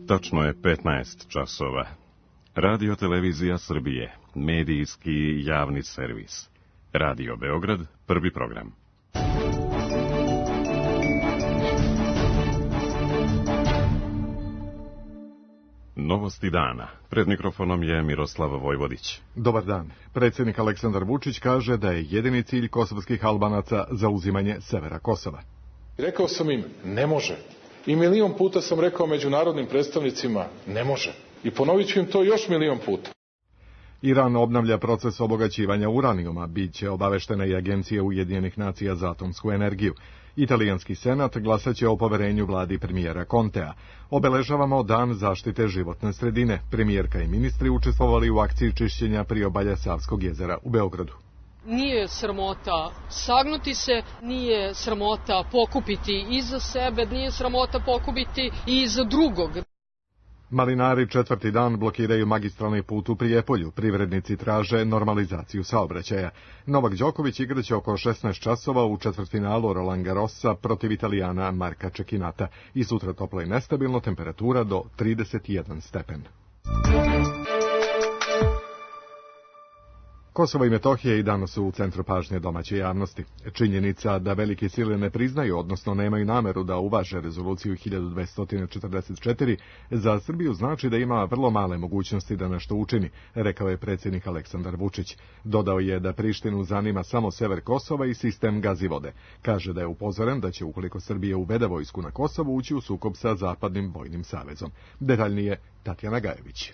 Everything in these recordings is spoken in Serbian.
Tačno je 15 časova. Radio Televizija Srbije, medijski javni servis. Radio Beograd, prvi program. Novosti dana. Pred mikrofonom je Miroslav Vojvodić. Dobar dan. Predsjednik Aleksandar Vučić kaže da je jedini cilj kosovskih Albanaca zauzimanje severa Kosova. Rekao sam im, ne može. I milion puta sam rekao međunarodnim predstavnicima, ne može. I ponovit ću im to još milion puta. Iran obnavlja proces obogaćivanja uranijuma, bit će obaveštena i Agencija Ujedinjenih nacija za atomsku energiju. Italijanski senat glasaće o poverenju vladi premijera Contea. Obeležavamo Dan zaštite životne sredine. Premijerka i ministri učestvovali u akciji čišćenja priobalja Savskog jezera u Beogradu. Nije sramota sagnuti se, nije sramota pokupiti i za sebe, nije sramota pokupiti i za drugog. Malinari četvrti dan blokiraju magistralni put u Prijepolju. Privrednici traže normalizaciju saobraćaja. Novak Đoković igraće oko 16 časova u četvrtfinalu Roland Garrosa protiv Italijana Marka Čekinata. I sutra toplo i nestabilno, temperatura do 31 stepen. Kosovo i Metohija i danas su u centru pažnje domaće javnosti. Činjenica da velike sile ne priznaju, odnosno nemaju nameru da uvaže rezoluciju 1244, za Srbiju znači da ima vrlo male mogućnosti da nešto učini, rekao je predsjednik Aleksandar Vučić. Dodao je da Prištinu zanima samo sever Kosova i sistem Gazivode. Kaže da je upozoren da će, ukoliko Srbija uvede vojsku na Kosovo, ući u sukob sa Zapadnim vojnim savezom. Detaljnije Tatjana Gajević.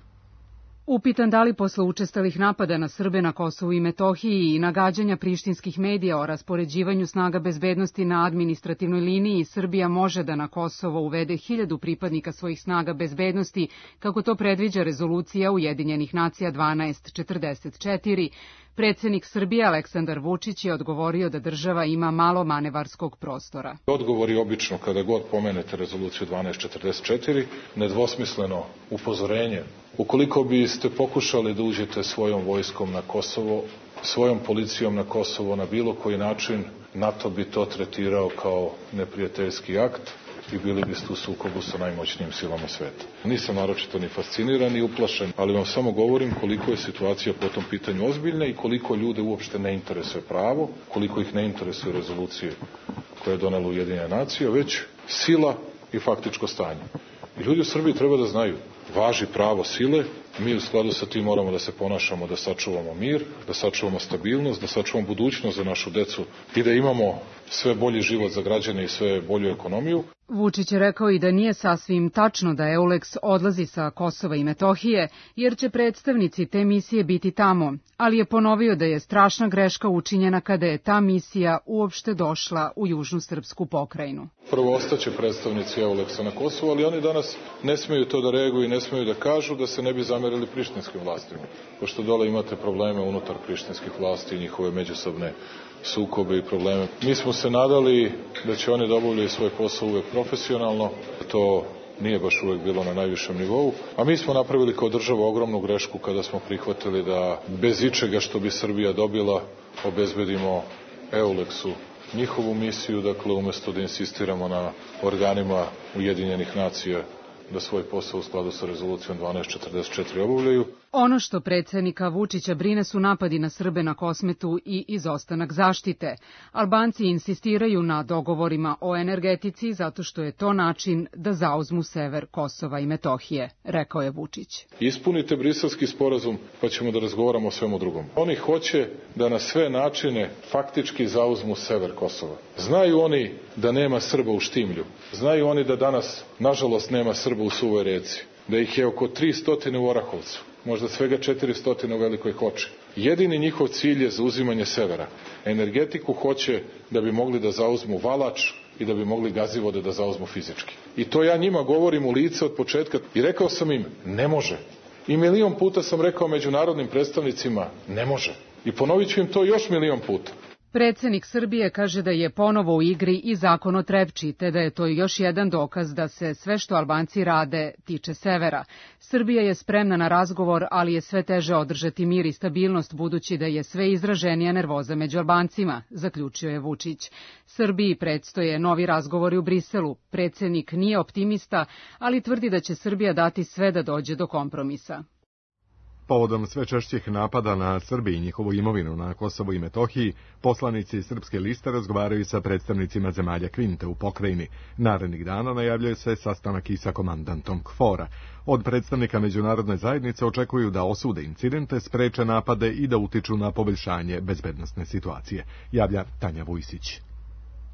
Upitan da li posle učestalih napada na Srbe na Kosovu i Metohiji i nagađanja prištinskih medija o raspoređivanju snaga bezbednosti na administrativnoj liniji, Srbija može da na Kosovo uvede 1000 pripadnika svojih snaga bezbednosti, kako to predviđa rezolucija Ujedinjenih nacija 1244. Predsjednik Srbije Aleksandar Vučić je odgovorio da država ima malo manevarskog prostora. Odgovor je obično kada god pomenete rezoluciju 1244, nedvosmisleno upozorenje. Ukoliko biste pokušali da uđete svojom vojskom na Kosovo, svojom policijom na Kosovo na bilo koji način, NATO bi to tretirao kao neprijateljski akt i bili biste u sukobu sa najmoćnijim silama sveta. Nisam naročito ni fasciniran ni uplašen, ali vam samo govorim koliko je situacija po tom pitanju ozbiljna i koliko ljude uopšte ne interesuje pravo, koliko ih ne interesuje rezolucije koje je donela Ujedinjene nacije, već sila i faktičko stanje. I ljudi u Srbiji treba da znaju, važi pravo sile, mi u skladu sa tim moramo da se ponašamo, da sačuvamo mir, da sačuvamo stabilnost, da sačuvamo budućnost za našu decu i da imamo sve bolji život za građane i sve bolju ekonomiju. Vučić je rekao i da nije sasvim tačno da EULEX odlazi sa Kosova i Metohije, jer će predstavnici te misije biti tamo, ali je ponovio da je strašna greška učinjena kada je ta misija uopšte došla u južnu srpsku pokrajinu. Prvo ostaće predstavnici EULEX-a na Kosovu, ali oni danas ne smeju to da reaguju i ne smeju da kažu da se ne bi zamerili prištinskim vlastima, pošto dole imate probleme unutar prištinskih vlasti i njihove međusobne sukobe i probleme. Mi smo se nadali da će oni da obavljaju svoj posao uvek profesionalno, to nije baš uvek bilo na najvišem nivou, a mi smo napravili kao država ogromnu grešku kada smo prihvatili da bez ičega što bi Srbija dobila obezbedimo EULEX-u njihovu misiju, dakle umesto da insistiramo na organima Ujedinjenih nacija da svoj posao u skladu sa rezolucijom 1244 obavljaju. Ono što predsjednika Vučića brine su napadi na Srbe na Kosmetu i izostanak zaštite. Albanci insistiraju na dogovorima o energetici zato što je to način da zauzmu sever Kosova i Metohije, rekao je Vučić. Ispunite Briselski sporazum pa ćemo da razgovaramo o svemu drugom. Oni hoće da na sve načine faktički zauzmu sever Kosova. Znaju oni da nema Srba u Štimlju. Znaju oni da danas, nažalost, nema Srba u Suvoj Reci. Da ih je oko 300 u Orahovcu. Možda svega 400 u Velikoj Hoči. Jedini njihov cilj je zauzimanje severa. Energetiku hoće da bi mogli da zauzmu Valač i da bi mogli Gazivode da zauzmu fizički. I to ja njima govorim u lice od početka i rekao sam im, ne može. I milion puta sam rekao međunarodnim predstavnicima, ne može. I ponovit ću im to još milion puta. Predsednik Srbije kaže da je ponovo u igri i zakon o Trepči, te da je to još jedan dokaz da se sve što Albanci rade tiče severa. Srbija je spremna na razgovor, ali je sve teže održati mir i stabilnost budući da je sve izraženija nervoza među Albancima, zaključio je Vučić. Srbiji predstoje novi razgovori u Briselu. Predsednik nije optimista, ali tvrdi da će Srbija dati sve da dođe do kompromisa. Povodom sve češćih napada na Srbiju i njihovu imovinu na Kosovu i Metohiji, poslanici Srpske liste razgovaraju sa predstavnicima zemalja Kvinte u pokrajini. Narednih dana najavljuje se sastanak i sa komandantom KFOR-a. Od predstavnika međunarodne zajednice očekuju da osude incidente, spreče napade i da utiču na poboljšanje bezbednosne situacije, javlja Tanja Vujsić.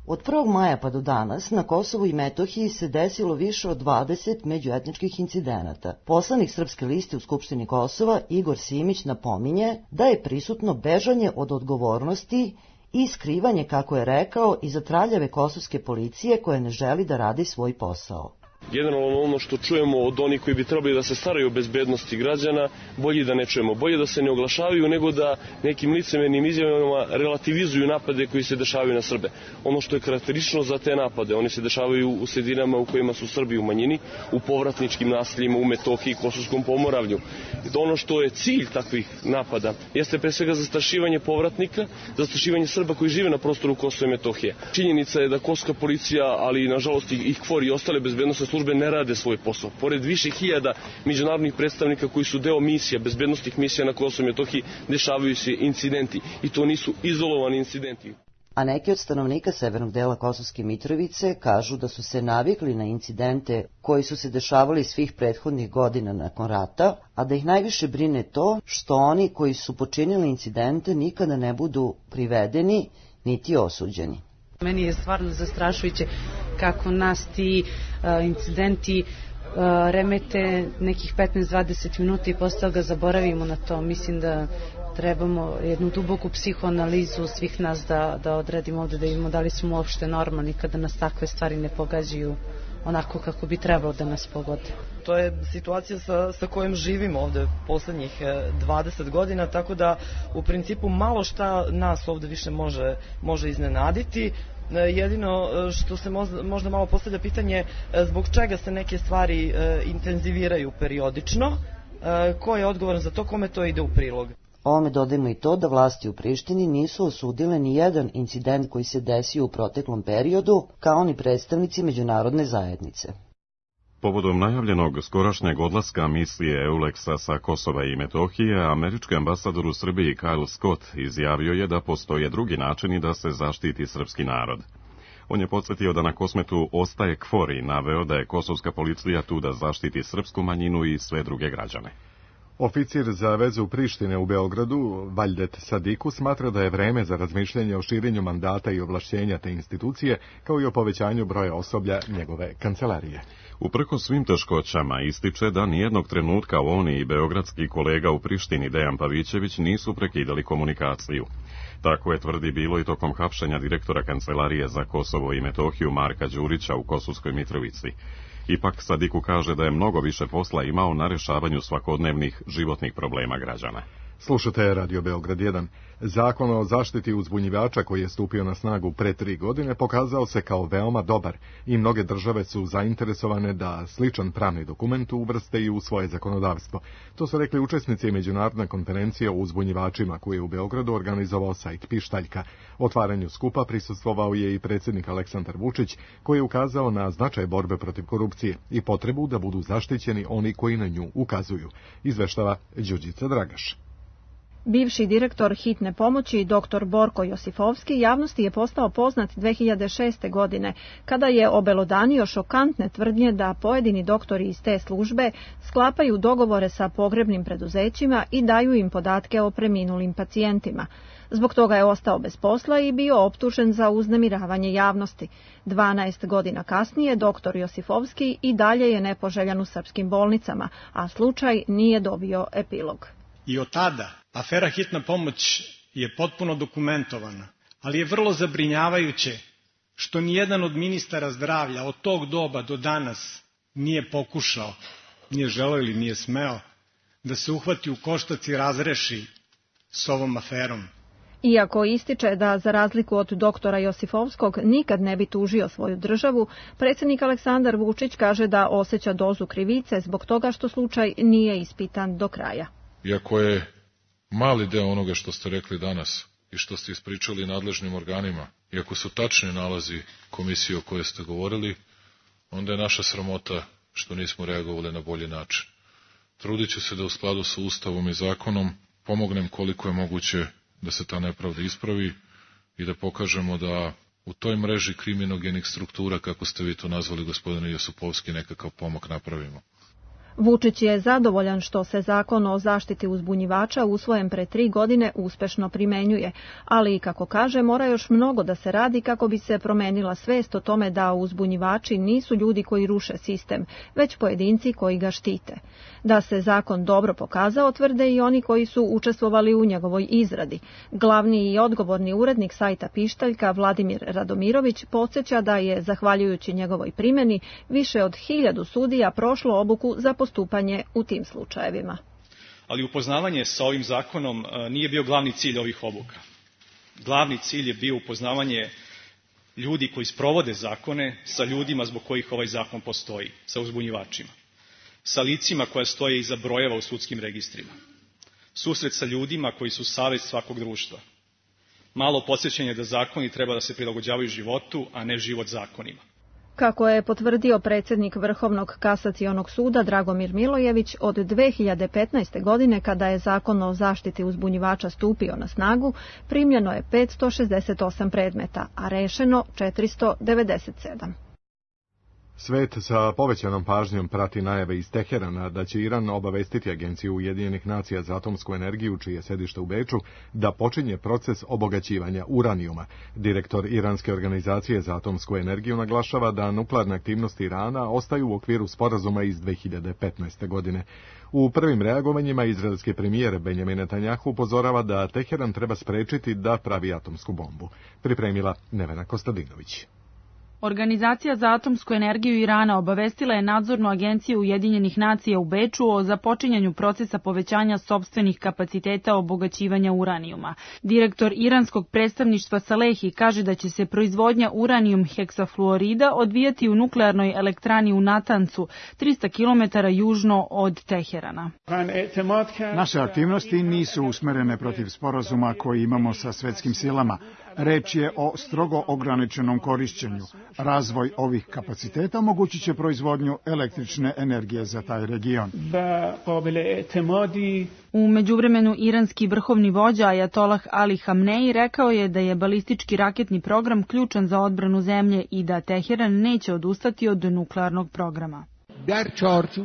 Od 1. maja pa do danas na Kosovu i Metohiji se desilo više od 20 međuetničkih incidenata. Poslanik Srpske liste u Skupštini Kosova, Igor Simić, napominje da je prisutno bežanje od odgovornosti i skrivanje, kako je rekao, iza traljave kosovske policije koja ne želi da radi svoj posao. Generalno ono što čujemo od onih koji bi trebali da se staraju o bezbednosti građana, bolje da ne čujemo, bolje da se ne oglašavaju nego da nekim licemernim izjavama relativizuju napade koji se dešavaju na Srbe. Ono što je karakteristično za te napade, oni se dešavaju u sredinama u kojima su Srbi u manjini, u povratničkim naseljima, u Metohiji, Kosovskom pomoravlju. Ono što je cilj takvih napada jeste pre svega zastrašivanje povratnika, zastrašivanje Srba koji žive na prostoru Kosova i Metohije. Činjenica je da kosovska policija, ali nažalost i KFOR i ostale bezbednosne službe ne rade svoj posao. Pored više hiljada međunarodnih predstavnika koji su deo misija, bezbednostnih misija na Kosovu i Metohiji, dešavaju se incidenti. I to nisu izolovani incidenti. A neki od stanovnika severnog dela Kosovske Mitrovice kažu da su se navikli na incidente koji su se dešavali svih prethodnih godina nakon rata, a da ih najviše brine to što oni koji su počinili incidente nikada ne budu privedeni niti osuđeni. Meni je stvarno zastrašujuće kako nas ti incidenti remete nekih 15-20 minuta i posle toga zaboravimo na to. Mislim da trebamo jednu duboku psihoanalizu svih nas da odradimo ovde, da vidimo da li smo uopšte normalni kada nas takve stvari ne pogađaju onako kako bi trebalo da nas pogode. To je situacija sa kojom živimo ovde poslednjih 20 godina, tako da u principu malo šta nas ovde više može iznenaditi. Jedino što se možda malo postavlja pitanje zbog čega se neke stvari intenziviraju periodično, ko je odgovoran za to, kome to ide u prilog. Ovome dodajmo i to da vlasti u Prištini nisu osudile ni jedan incident koji se desio u proteklom periodu, kao ni predstavnici međunarodne zajednice. Povodom najavljenog skorašnjeg odlaska misije EULEX-a sa Kosova i Metohije, američki ambasador u Srbiji Kyle Scott izjavio je da postoje drugi načini da se zaštiti srpski narod. On je podsjetio da na Kosmetu ostaje KFOR i naveo da je kosovska policija tu da zaštiti srpsku manjinu i sve druge građane. Oficir za vezu Prištine u Beogradu, Valdet Sadiku, smatra da je vreme za razmišljanje o širenju mandata i ovlašćenja te institucije, kao i o povećanju broja osoblja njegove kancelarije. Uprkos svim teškoćama ističe da nijednog trenutka on i beogradski kolega u Prištini Dejan Pavićević nisu prekidali komunikaciju. Tako je tvrdi bilo i tokom hapšenja direktora Kancelarije za Kosovo i Metohiju Marka Đurića u Kosovskoj Mitrovici. Ipak Sadiku kaže da je mnogo više posla imao na rešavanju svakodnevnih životnih problema građana. Slušate Radio Beograd 1. Zakon o zaštiti uzbunjivača koji je stupio na snagu pre 3 godine pokazao se kao veoma dobar i mnoge države su zainteresovane da sličan pravni dokument uvrste i u svoje zakonodavstvo. To su rekli učesnici međunarodne konferencije o uzbunjivačima koji je u Beogradu organizovao sajt Pištaljka. Otvaranju skupa prisustvovao je i predsjednik Aleksandar Vučić koji je ukazao na značaj borbe protiv korupcije i potrebu da budu zaštićeni oni koji na nju ukazuju. Izveštava Đurđica Dragaš. Bivši direktor hitne pomoći, dr. Borko Josifovski, javnosti je postao poznat 2006. godine, kada je obelodanio šokantne tvrdnje da pojedini doktori iz te službe sklapaju dogovore sa pogrebnim preduzećima i daju im podatke o preminulim pacijentima. Zbog toga je ostao bez posla i bio optužen za uznemiravanje javnosti. 12 godina kasnije dr. Josifovski i dalje je nepoželjan u srpskim bolnicama, a slučaj nije dobio epilog. I od tada afera hitna pomoć je potpuno dokumentovana, ali je vrlo zabrinjavajuće što nijedan od ministara zdravlja od tog doba do danas nije pokušao, nije želeo ili nije smeo da se uhvati u koštac i razreši s ovom aferom. Iako ističe da za razliku od doktora Josifovskog nikad ne bi tužio svoju državu, predsjednik Aleksandar Vučić kaže da osjeća dozu krivice zbog toga što slučaj nije ispitan do kraja. Iako je mali deo onoga što ste rekli danas i što ste ispričali nadležnim organima, iako su tačni nalazi komisije o kojoj ste govorili, onda je naša sramota što nismo reagovali na bolji način. Trudit ću se da u skladu sa Ustavom i zakonom pomognem koliko je moguće da se ta nepravda ispravi i da pokažemo da u toj mreži kriminogenih struktura, kako ste vi to nazvali, gospodine Josipovski, nekakav pomak napravimo. Vučić je zadovoljan što se zakon o zaštiti uzbunjivača usvojen pre 3 godine uspešno primenjuje, ali, kako kaže, mora još mnogo da se radi kako bi se promenila svest o tome da uzbunjivači nisu ljudi koji ruše sistem, već pojedinci koji ga štite. Da se zakon dobro pokazao, tvrde i oni koji su učestvovali u njegovoj izradi. Glavni i odgovorni urednik sajta Pištaljka, Vladimir Radomirović, podsjeća da je, zahvaljujući njegovoj primjeni, više od 1000 sudija prošlo obuku za postupanje u tim slučajevima. Ali upoznavanje sa ovim zakonom nije bio glavni cilj ovih obuka. Glavni cilj je bio upoznavanje ljudi koji sprovode zakone sa ljudima zbog kojih ovaj zakon postoji, sa uzbunjivačima, sa licima koja stoje iza brojeva u sudskim registrima, susret sa ljudima koji su savest svakog društva, malo podsjećanje da zakoni treba da se prilagođavaju životu, a ne život zakonima. Kako je potvrdio predsjednik Vrhovnog kasacionog suda Dragomir Milojević, od 2015. godine, kada je zakon o zaštiti uzbunjivača stupio na snagu, primljeno je 568 predmeta, a rešeno 497. Svet sa povećanom pažnjom prati najave iz Teherana da će Iran obavestiti Agenciju Ujedinjenih nacija za atomsku energiju, čije je sedište u Beču, da počinje proces obogaćivanja uranijuma. Direktor Iranske organizacije za atomsku energiju naglašava da nuklearne aktivnosti Irana ostaju u okviru sporazuma iz 2015. godine. U prvim reagovanjima izraelski premijer Benjamin Netanjahu upozorava da Teheran treba sprečiti da pravi atomsku bombu. Pripremila Nevena Kostadinović. Organizacija za atomsku energiju Irana obavestila je nadzornu agenciju Ujedinjenih nacija u Beču o započinjanju procesa povećanja sopstvenih kapaciteta obogaćivanja uranijuma. Direktor iranskog predstavništva Salehi kaže da će se proizvodnja uranijum heksafluorida odvijati u nuklearnoj elektrani u Natancu, 300 km južno od Teherana. Naše aktivnosti nisu usmerene protiv sporazuma koji imamo sa svetskim silama. Reč je o strogo ograničenom korišćenju. Razvoj ovih kapaciteta omogućit će proizvodnju električne energije za taj region. U međuvremenu iranski vrhovni vođa Ajatolah Ali Hamneji rekao je da je balistički raketni program ključan za odbranu zemlje i da Teheran neće odustati od nuklearnog programa.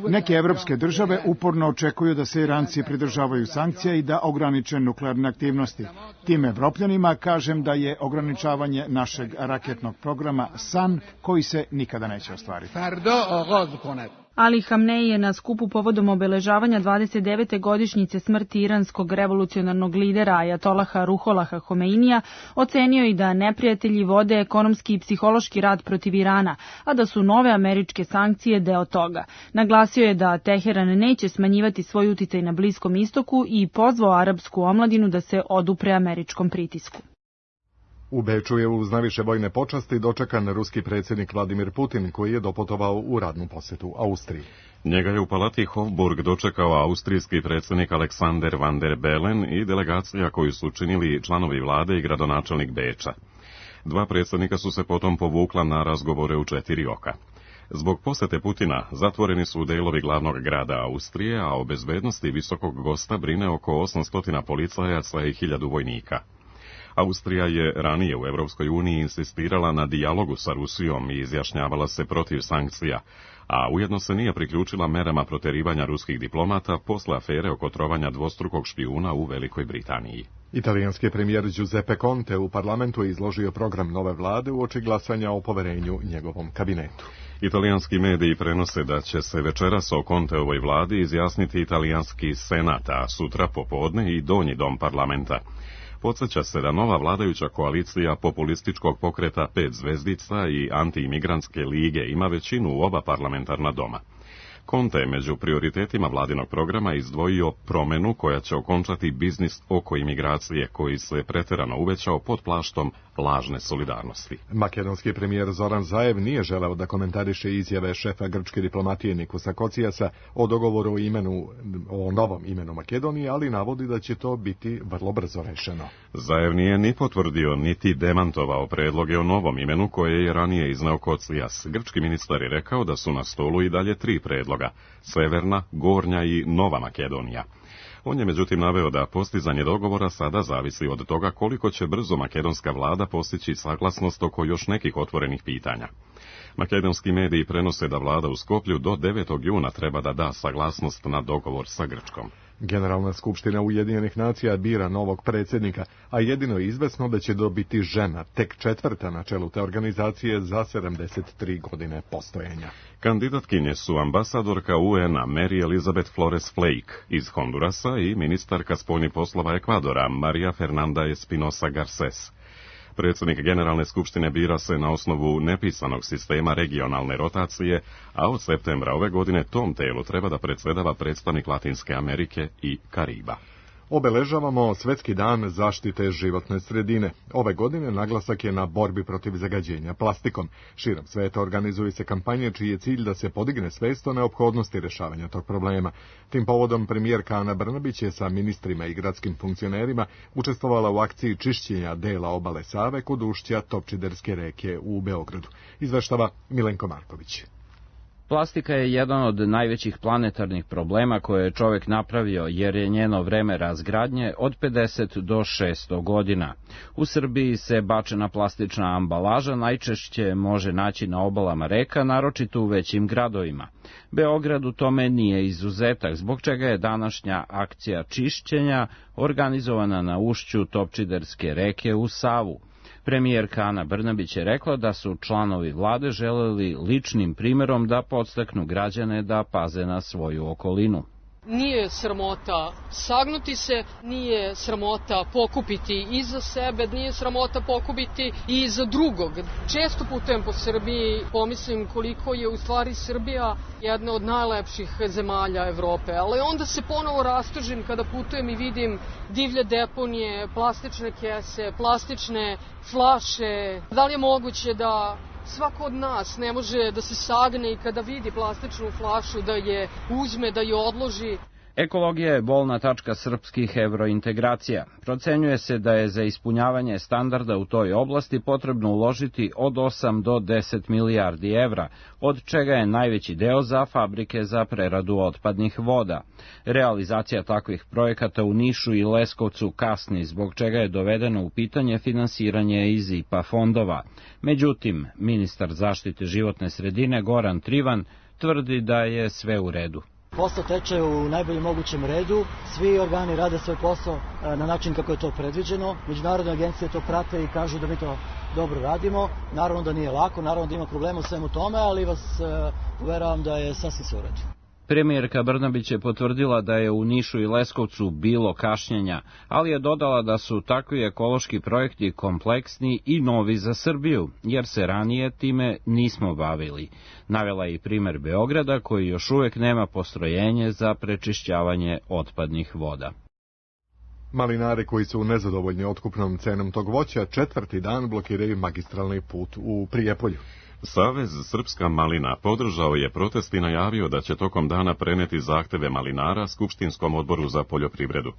Neke evropske države uporno očekuju da se Iranci pridržavaju sankcija i da ograniče nuklearne aktivnosti. Tim Evropljanima kažem da je ograničavanje našeg raketnog programa san koji se nikada neće ostvariti. Ali Hamneji je na skupu povodom obeležavanja 29. godišnjice smrti iranskog revolucionarnog lidera Ajatolaha Ruholaha Homeinija ocenio i da neprijatelji vode ekonomski i psihološki rat protiv Irana, a da su nove američke sankcije deo toga. Naglasio je da Teheran neće smanjivati svoj uticaj na Bliskom istoku i pozvao arapsku omladinu da se odupre američkom pritisku. U Beču je uz najviše vojne počasti dočekan ruski predsjednik Vladimir Putin, koji je doputovao u radnu posjetu Austriji. Njega je u palati Hofburg dočekao austrijski predsjednik Alexander van der Bellen i delegacija koju su činili članovi vlade i gradonačelnik Beča. Dva predsjednika su se potom povukla na razgovore u 4 oka. Zbog posete Putina zatvoreni su delovi glavnog grada Austrije, a o bezbednosti visokog gosta brine oko 800 policajaca i 1000 vojnika. Austrija je ranije u Europskoj uniji insistirala na dijalogu sa Rusijom i izjašnjavala se protiv sankcija, a ujedno se nije priključila merama proterivanja ruskih diplomata posle afere oko trovanja dvostrukog špijuna u Velikoj Britaniji. Italijanski premijer Giuseppe Conte u parlamentu je izložio program nove vlade uoči glasanja o poverenju njegovom kabinetu. Italijanski mediji prenose da će se večeras o Conteovoj vladi izjasniti italijanski senat, a sutra popodne i donji dom parlamenta. Podsjeća se da nova vladajuća koalicija populističkog pokreta 5 zvezdica i antiimigrantske lige ima većinu u oba parlamentarna doma. Conte je među prioritetima vladinog programa izdvojio promenu koja će okončati biznis oko imigracije koji se pretjerano uvećao pod plaštom lažne solidarnosti. Makedonski premijer Zoran Zaev nije želeo da komentariše izjave šefa grčke diplomatije Nikosa Kocijasa o dogovoru o novom imenu Makedonije, ali navodi da će to biti vrlo brzo rešeno. Zaev nije ni potvrdio niti demantovao predloge o novom imenu koje je ranije izneo Kocijas. Grčki ministar je rekao da su na stolu i dalje 3 predloga: Severna, Gornja i Nova Makedonija. On je međutim naveo da postizanje dogovora sada zavisi od toga koliko će brzo makedonska vlada postići saglasnost oko još nekih otvorenih pitanja. Makedonski mediji prenose da vlada u Skoplju do 9. juna treba da da saglasnost na dogovor sa Grčkom. Generalna skupština Ujedinjenih nacija bira novog predsjednika, a jedino je izvesno da će dobiti žena, tek 4. na čelu te organizacije za 73 godine postojanja. Kandidatkinje su ambasadorka UN-a Mary Elizabeth Flores Flake iz Hondurasa i ministarka spoljnih poslova Ekvadora Maria Fernanda Espinosa Garces. Predsjednik Generalne skupštine bira se na osnovu nepisanog sistema regionalne rotacije, a od septembra ove godine tom telu treba da predsjedava predstavnik Latinske Amerike i Kariba. Obeležavamo Svjetski dan zaštite životne sredine. Ove godine naglasak je na borbi protiv zagađenja plastikom. Širom sveta organizuju se kampanje čiji je cilj da se podigne svest o neophodnosti rješavanja tog problema. Tim povodom premijerka Ana Brnabić je sa ministrima i gradskim funkcionerima učestvovala u akciji čišćenja dela obale Save kod ušća Topčiderske reke u Beogradu. Izveštava Milenko Marković. Plastika je jedan od najvećih planetarnih problema koje je čovjek napravio, jer je njeno vreme razgradnje od 50 do 600 godina. U Srbiji se bačena plastična ambalaža najčešće može naći na obalama reka, naročito u većim gradovima. Beograd u tome nije izuzetak, zbog čega je današnja akcija čišćenja organizovana na ušću Topčiderske reke u Savu. Premijerka Ana Brnabić je rekla da su članovi vlade želeli ličnim primjerom da podstaknu građane da paze na svoju okolinu. Nije sramota sagnuti se, nije sramota pokupiti i za sebe, nije sramota pokupiti i za drugog. Često putujem po Srbiji, pomislim koliko je u stvari Srbija jedna od najlepših zemalja Evrope, ali onda se ponovo rastužim kada putujem i vidim divlje deponije, plastične kese, plastične flaše. Da li je moguće da svako od nas ne može da se sagne i kada vidi plastičnu flašu da je uzme, da je odloži? Ekologija je bolna tačka srpskih evrointegracija. Procenjuje se da je za ispunjavanje standarda u toj oblasti potrebno uložiti od 8 do 10 milijardi evra, od čega je najveći deo za fabrike za preradu otpadnih voda. Realizacija takvih projekata u Nišu i Leskovcu kasni, zbog čega je dovedeno u pitanje finansiranje iz IPA fondova. Međutim, ministar zaštite životne sredine Goran Trivan tvrdi da je sve u redu. Posao teče u najboljem mogućem redu, svi organi rade svoj posao na način kako je to predviđeno, međunarodne agencije to prate i kažu da mi to dobro radimo, naravno da nije lako, naravno da ima problema u svemu tome, ali vas uveravam da je sasvim sve u redu. Premijerka Brnabić je potvrdila da je u Nišu i Leskovcu bilo kašnjenja, ali je dodala da su takvi ekološki projekti kompleksni i novi za Srbiju, jer se ranije time nismo bavili. Navela je i primer Beograda, koji još uvijek nema postrojenje za prečišćavanje otpadnih voda. Malinari koji su nezadovoljni otkupnom cenom tog voća 4. dan blokiraju magistralni put u Prijepolju. Savez Srpska malina podržao je protest i najavio da će tokom dana preneti zahteve malinara Skupštinskom odboru za poljoprivredu.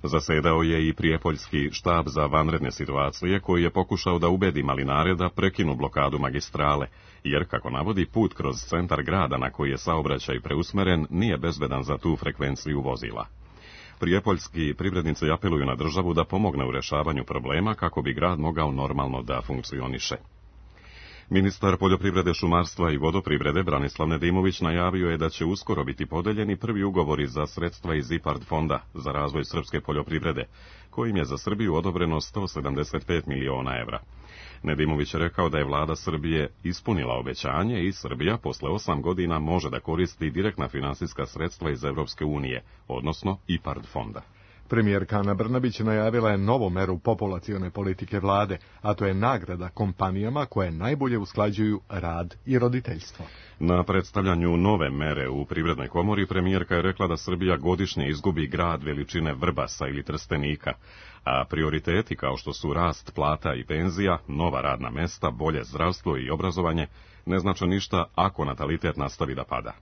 Zasedao je i Prijepoljski štab za vanredne situacije koji je pokušao da ubedi malinare da prekinu blokadu magistrale, jer, kako navodi, put kroz centar grada na koji je saobraćaj preusmeren nije bezbedan za tu frekvenciju vozila. Prijepoljski privrednici apeluju na državu da pomogne u rješavanju problema kako bi grad mogao normalno da funkcioniše. Ministar poljoprivrede, šumarstva i vodoprivrede Branislav Nedimović najavio je da će uskoro biti podeljeni prvi ugovori za sredstva iz IPARD fonda za razvoj srpske poljoprivrede, kojim je za Srbiju odobreno 175 miliona evra. Nedimović je rekao da je vlada Srbije ispunila obećanje i Srbija posle 8 godina može da koristi direktna finansijska sredstva iz Evropske unije, odnosno IPARD fonda. Premijerka Ana Brnabić najavila je novu meru populacione politike vlade, a to je nagrada kompanijama koje najbolje usklađuju rad i roditeljstvo. Na predstavljanju nove mere u Privrednoj komori premijerka je rekla da Srbija godišnje izgubi grad veličine Vrbasa ili Trstenika, a prioriteti kao što su rast plata i penzija, nova radna mesta, bolje zdravstvo i obrazovanje ne znače ništa ako natalitet nastavi da pada.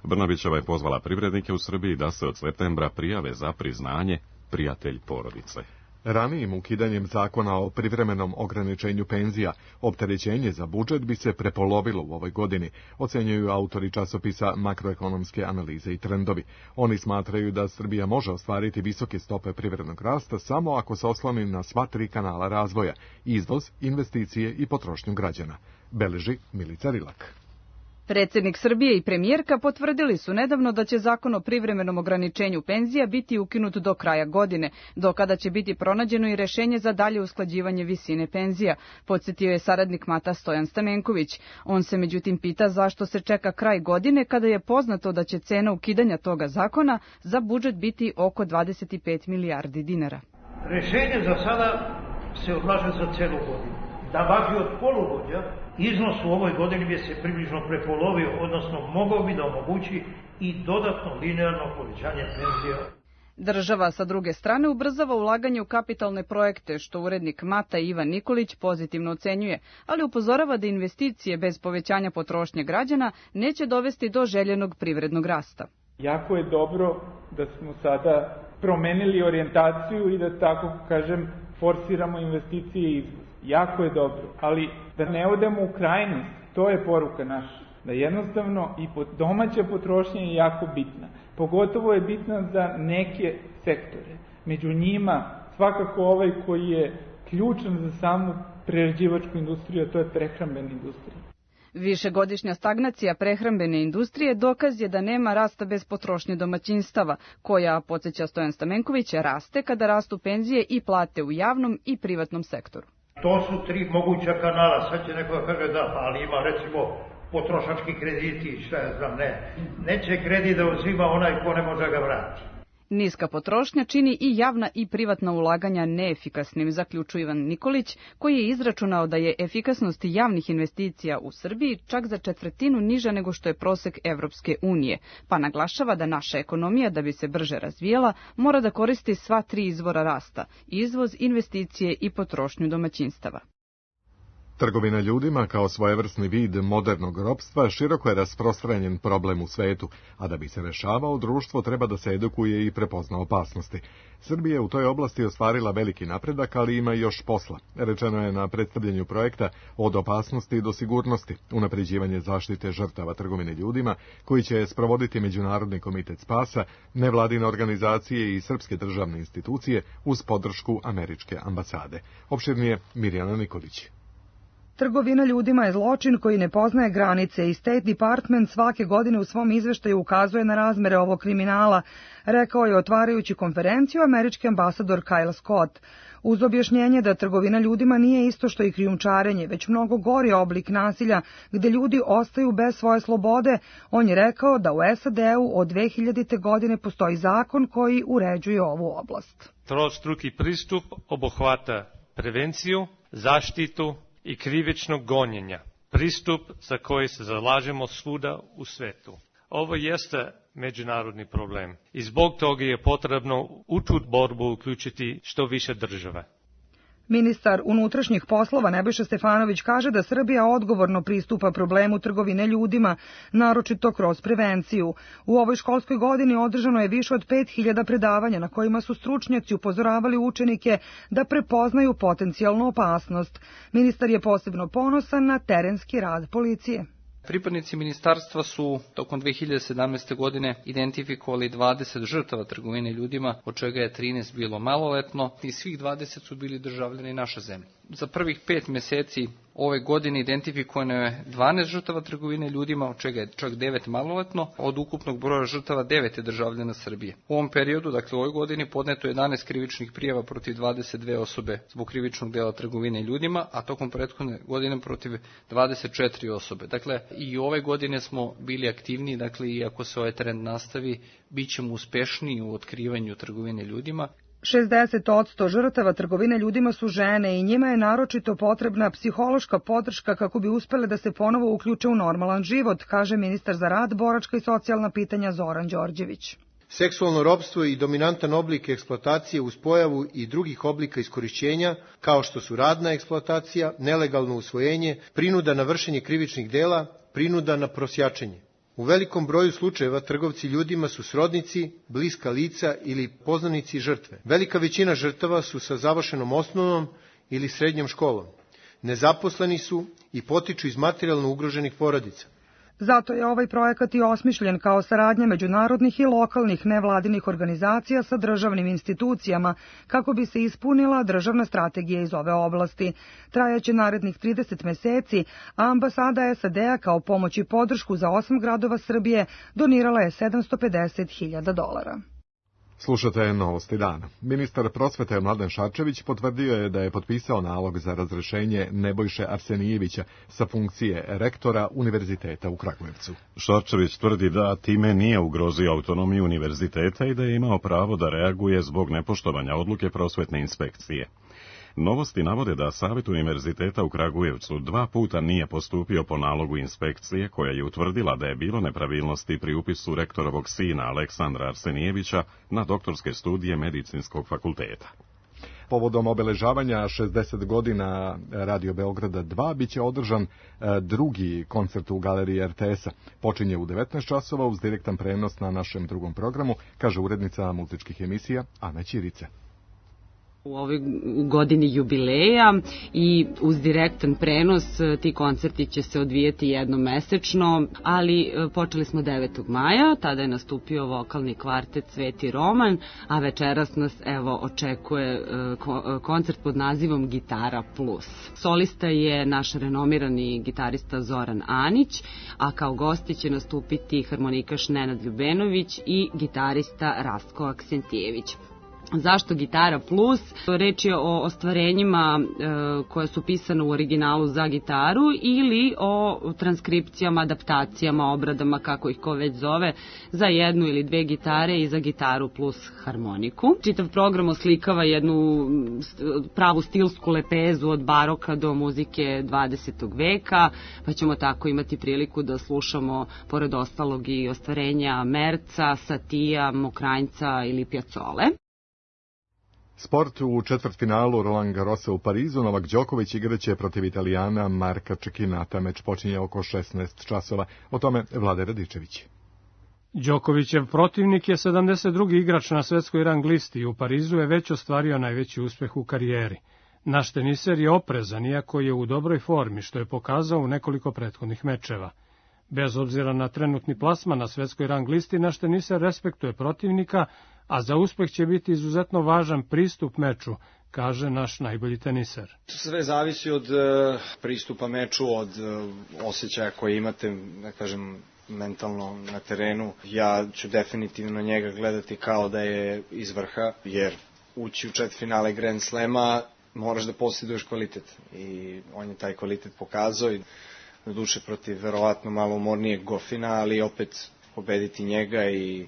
Brnabićeva je pozvala privrednike u Srbiji da se od septembra prijave za priznanje prijatelj porodice. Ranijim ukidanjem zakona o privremenom ograničenju penzija, opterećenje za budžet bi se prepolovilo u ovoj godini, ocenjuju autori časopisa Makroekonomske analize i trendovi. Oni smatraju da Srbija može ostvariti visoke stope privrednog rasta samo ako se osloni na sva 3 kanala razvoja: izvoz, investicije i potrošnju građana. Beleži Milica Rilak. Predsjednik Srbije i premijerka potvrdili su nedavno da će zakon o privremenom ograničenju penzija biti ukinut do kraja godine, do kada će biti pronađeno i rešenje za dalje usklađivanje visine penzija, podsjetio je saradnik Mata Stojan Stamenković. On se međutim pita zašto se čeka kraj godine kada je poznato da će cena ukidanja toga zakona za budžet biti oko 25 milijardi dinara. Rešenje za sada se odlaže za celu godinu. Da važi od polugodja, iznos u ovoj godini bi se približno prepolovio, odnosno mogao bi da omogući i dodatno linearno povećanje penzija. Država sa druge strane ubrzava ulaganje u kapitalne projekte, što urednik Mata Ivan Nikolić pozitivno ocenjuje, ali upozorava da investicije bez povećanja potrošnje građana neće dovesti do željenog privrednog rasta. Jako je dobro da smo sada promenili orijentaciju i da tako kažem forsiramo investicije i izvoz. Jako je dobro, ali da ne odemo u krajnost, to je poruka naša. Da jednostavno i domaća potrošnja je jako bitna. Pogotovo je bitna za neke sektore. Među njima svakako ovaj koji je ključan za samu prerađivačku industriju, a to je prehrambena industrija. Višegodišnja stagnacija prehrambene industrije dokaz je da nema rasta bez potrošnje domaćinstava, koja, podsjeća Stojan Stamenković, raste kada rastu penzije i plate u javnom i privatnom sektoru. To su 3 moguća kanala. Sad će neko da kaže da, ali ima recimo potrošački krediti, šta ja znam, ne. Neće kredit da uzima onaj ko ne može ga vrati. Niska potrošnja čini i javna i privatna ulaganja neefikasnim, zaključuje Ivan Nikolić, koji je izračunao da je efikasnost javnih investicija u Srbiji čak za 1/4 niža nego što je prosek Evropske unije, pa naglašava da naša ekonomija, da bi se brže razvijela, mora da koristi sva 3 izvora rasta: izvoz, investicije i potrošnju domaćinstava. Trgovina ljudima kao svojevrsni vid modernog ropstva široko je rasprostranjen problem u svetu, a da bi se rešavao, društvo treba da se edukuje i prepozna opasnosti. Srbija je u toj oblasti ostvarila veliki napredak, ali ima još posla. Rečeno je na predstavljanju projekta Od opasnosti do sigurnosti, unapređivanje zaštite žrtava trgovine ljudima, koji će sprovoditi Međunarodni komitet spasa, nevladine organizacije i srpske državne institucije uz podršku američke ambasade. Opširnije Mirjana Nikolić. Trgovina ljudima je zločin koji ne poznaje granice i State Department svake godine u svom izveštaju ukazuje na razmere ovog kriminala, rekao je otvarajući konferenciju američki ambasador Kyle Scott. Uz objašnjenje da trgovina ljudima nije isto što i krijumčarenje, već mnogo gori oblik nasilja gde ljudi ostaju bez svoje slobode, on je rekao da u SAD-u od 2000. godine postoji zakon koji uređuje ovu oblast. Trostruki pristup obuhvata prevenciju, zaštitu i krivičnog gonjenja, pristup za koji se zalažemo svuda u svetu. Ovo jeste međunarodni problem i zbog toga je potrebno u tu borbu uključiti što više države. Ministar unutrašnjih poslova Nebojša Stefanović kaže da Srbija odgovorno pristupa problemu trgovine ljudima, naročito kroz prevenciju. U ovoj školskoj godini održano je više od 5000 predavanja na kojima su stručnjaci upozoravali učenike da prepoznaju potencijalnu opasnost. Ministar je posebno ponosan na terenski rad policije. Pripadnici ministarstva su tokom 2017. godine identifikovali 20 žrtava trgovine ljudima, od čega je 13 bilo maloletno i svih 20 su bili državljani naše zemlje. Za prvih 5 meseci Ove godine identifikovano je 12 žrtava trgovine ljudima, od čega je čak 9 maloletno, od ukupnog broja žrtava 9 je državljana Srbije. U ovom periodu, dakle u ovoj godini, podneto je 11 krivičnih prijava protiv 22 osobe zbog krivičnog dela trgovine ljudima, a tokom prethodne godine protiv 24 osobe. Dakle, i ove godine smo bili aktivniji, dakle, i ako se ovaj trend nastavi, bit ćemo uspešniji u otkrivanju trgovine ljudima. 60% žrtava trgovine ljudima su žene i njima je naročito potrebna psihološka podrška kako bi uspele da se ponovo uključe u normalan život, kaže ministar za rad, boračka i socijalna pitanja Zoran Đorđević. Seksualno ropstvo i dominantan oblik eksploatacije uz pojavu i drugih oblika iskorišćenja, kao što su radna eksploatacija, nelegalno usvojenje, prinuda na vršenje krivičnih dela, prinuda na prosjačenje. U velikom broju slučajeva trgovci ljudima su srodnici, bliska lica ili poznanici žrtve. Velika većina žrtava su sa završenom osnovnom ili srednjom školom. Nezaposleni su i potiču iz materijalno ugroženih porodica. Zato je ovaj projekat i osmišljen kao saradnja međunarodnih i lokalnih nevladinih organizacija sa državnim institucijama kako bi se ispunila državna strategija iz ove oblasti. Trajaće narednih 30 meseci, a ambasada SAD-a kao pomoć i podršku za 8 gradova Srbije donirala je $750.000. Slušate Novosti dana. Ministar prosvete Mladen Šarčević potvrdio je da je potpisao nalog za razrešenje Nebojše Arsenijevića sa funkcije rektora Univerziteta u Kragujevcu. Šarčević tvrdi da time nije ugrozio autonomiju univerziteta i da je imao pravo da reaguje zbog nepoštovanja odluke prosvetne inspekcije. Novosti navode da Savet Univerziteta u Kragujevcu 2 puta nije postupio po nalogu inspekcije koja je utvrdila da je bilo nepravilnosti pri upisu rektorovog sina Aleksandra Arsenijevića na doktorske studije Medicinskog fakulteta. Povodom obeležavanja 60 godina Radio Beograda 2 biće održan drugi koncert u galeriji RTS-a. Počinje u 19 časova uz direktan prenos na našem drugom programu, kaže urednica muzičkih emisija Ana Ćirica. U ovoj godini jubileja i uz direktan prenos ti koncerti će se odvijeti jednomesečno, ali počeli smo 9. maja, tada je nastupio vokalni kvartet Sveti Roman, a večeras nas očekuje koncert pod nazivom Gitara Plus. Solista je naš renomirani gitarista Zoran Anić, a kao gosti će nastupiti harmonikaš Nenad Ljubenović i gitarista Rastko Aksentijević. Zašto Gitara Plus? Reč je o ostvarenjima koje su pisane u originalu za gitaru ili o transkripcijama, adaptacijama, obradama, kako ih ko već zove, za 1 ili 2 gitare i za gitaru plus harmoniku. Čitav program oslikava jednu pravu stilsku lepezu od baroka do muzike 20. veka, pa ćemo tako imati priliku da slušamo, pored ostalog, i ostvarenja Merca, Satija, Mokranjca ili Pjacole. Sport u četvrtfinalu Roland Garrosa u Parizu. Novak Đoković igraće protiv Italijana Marka Cecchinata. Meč počinje oko 16 časova. O tome Vlade Radičević. Đokovićev protivnik je 72. igrač na svetskoj rang listi i u Parizu je već ostvario najveći uspeh u karijeri. Naš teniser je oprezan, iako je u dobroj formi, što je pokazao u nekoliko prethodnih mečeva. Bez obzira na trenutni plasman na svetskoj rang listi, naš teniser respektuje protivnika, a za uspeh će biti izuzetno važan pristup meču, kaže naš najbolji teniser. Sve zavisi od pristupa meču, od osjećaja koje imate, da kažem, mentalno na terenu. Ja ću definitivno njega gledati kao da je iz vrha, jer ući u četvrtfinale Grand Slema moraš da posjeduješ kvalitet i on je taj kvalitet pokazao i doduše protiv verovatno malo umornijeg Gofina, ali opet pobediti njega i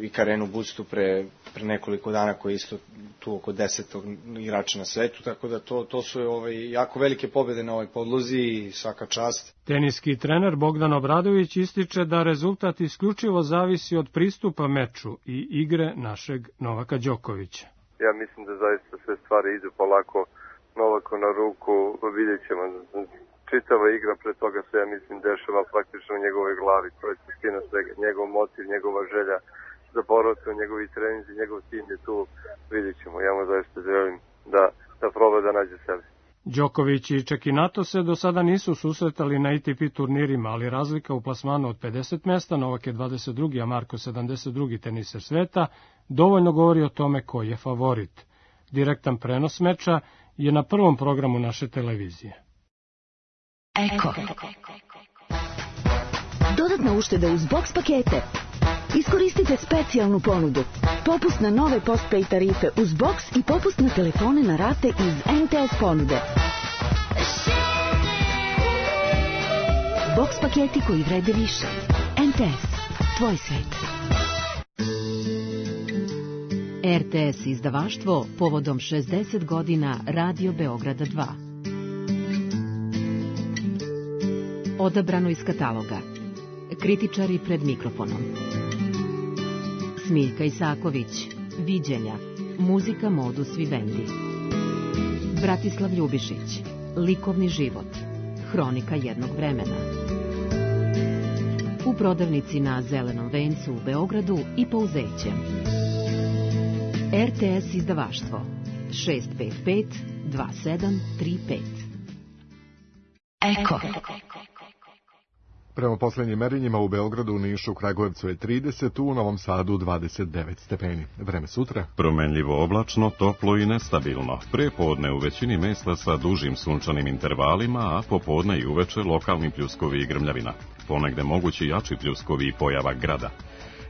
i Karenu Buctu pre nekoliko dana koji je isto tu oko 10. igrača na svetu, tako da to su jako velike pobede na ovoj podlozi i svaka čast. Teniski trener Bogdan Obradović ističe da rezultat isključivo zavisi od pristupa meču i igre našeg Novaka Đokovića. Ja mislim da zaista sve stvari idu polako Novaku na ruku, vidjet ćemo. Čitava igra pre toga se, ja mislim, dešava praktično u njegovoj glavi, to je suština svega, njegov motiv, njegova želja za borbu, njegovi treninzi, njegov tim je tu, vidjet ćemo. Ja mu zaista želim da proba da nađe sebe. Đoković i Ceccinato se do sada nisu susretali na ATP turnirima, ali razlika u plasmanu od 50 mesta, Novak je 22. a Marko 72. teniser sveta, dovoljno govori o tome ko je favorit. Direktan prenos meča je na prvom programu naše televizije. Eko. Dodatna ušteda uz box pakete. Iskoristite specijalnu ponudu. Popust na nove postpaid tarife uz box i popust na telefone na rate iz MTS ponude. Box paketi koji vrede više. MTS. Tvoj svet. RTS izdavaštvo povodom 60 godina Radio Beograda 2. Odabrano iz kataloga. Kritičari pred mikrofonom. Smiljka Isaković. Viđenja. Muzika Modus Vivendi. Bratislav Ljubišić. Likovni život. Hronika jednog vremena. U prodavnici na Zelenom vencu u Beogradu i Pouzeće. RTS izdavaštvo 655 2735. Eko. Prema poslednjim merenjima u Beogradu, Nišu, Kragujevcu je 30, u Novom Sadu 29 stepeni. Vreme sutra? Promenljivo oblačno, toplo i nestabilno. Prepodne u većini mesta sa dužim sunčanim intervalima, a popodne i uveče lokalni pljuskovi i grmljavina. Ponegde mogući jači pljuskovi i pojava grada.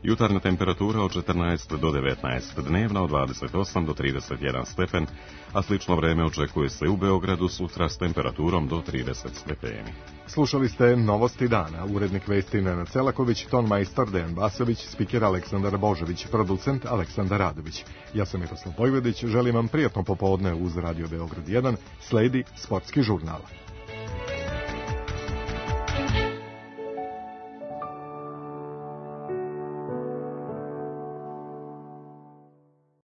Jutarnja temperatura od 14 do 19, dnevna od 28 do 31 stepen, a slično vreme očekuje se u Beogradu sutra s temperaturom do 30 stepeni. Slušali ste Novosti dana, urednik vesti Nenad Selaković, tonmajstor Dejan Basović, spiker Aleksandar Božović, producent Aleksandar Radović. Ja sam Miroslav Vojvodić, želim vam prijatno popodne uz Radio Beograd 1, sledi Sportski žurnal.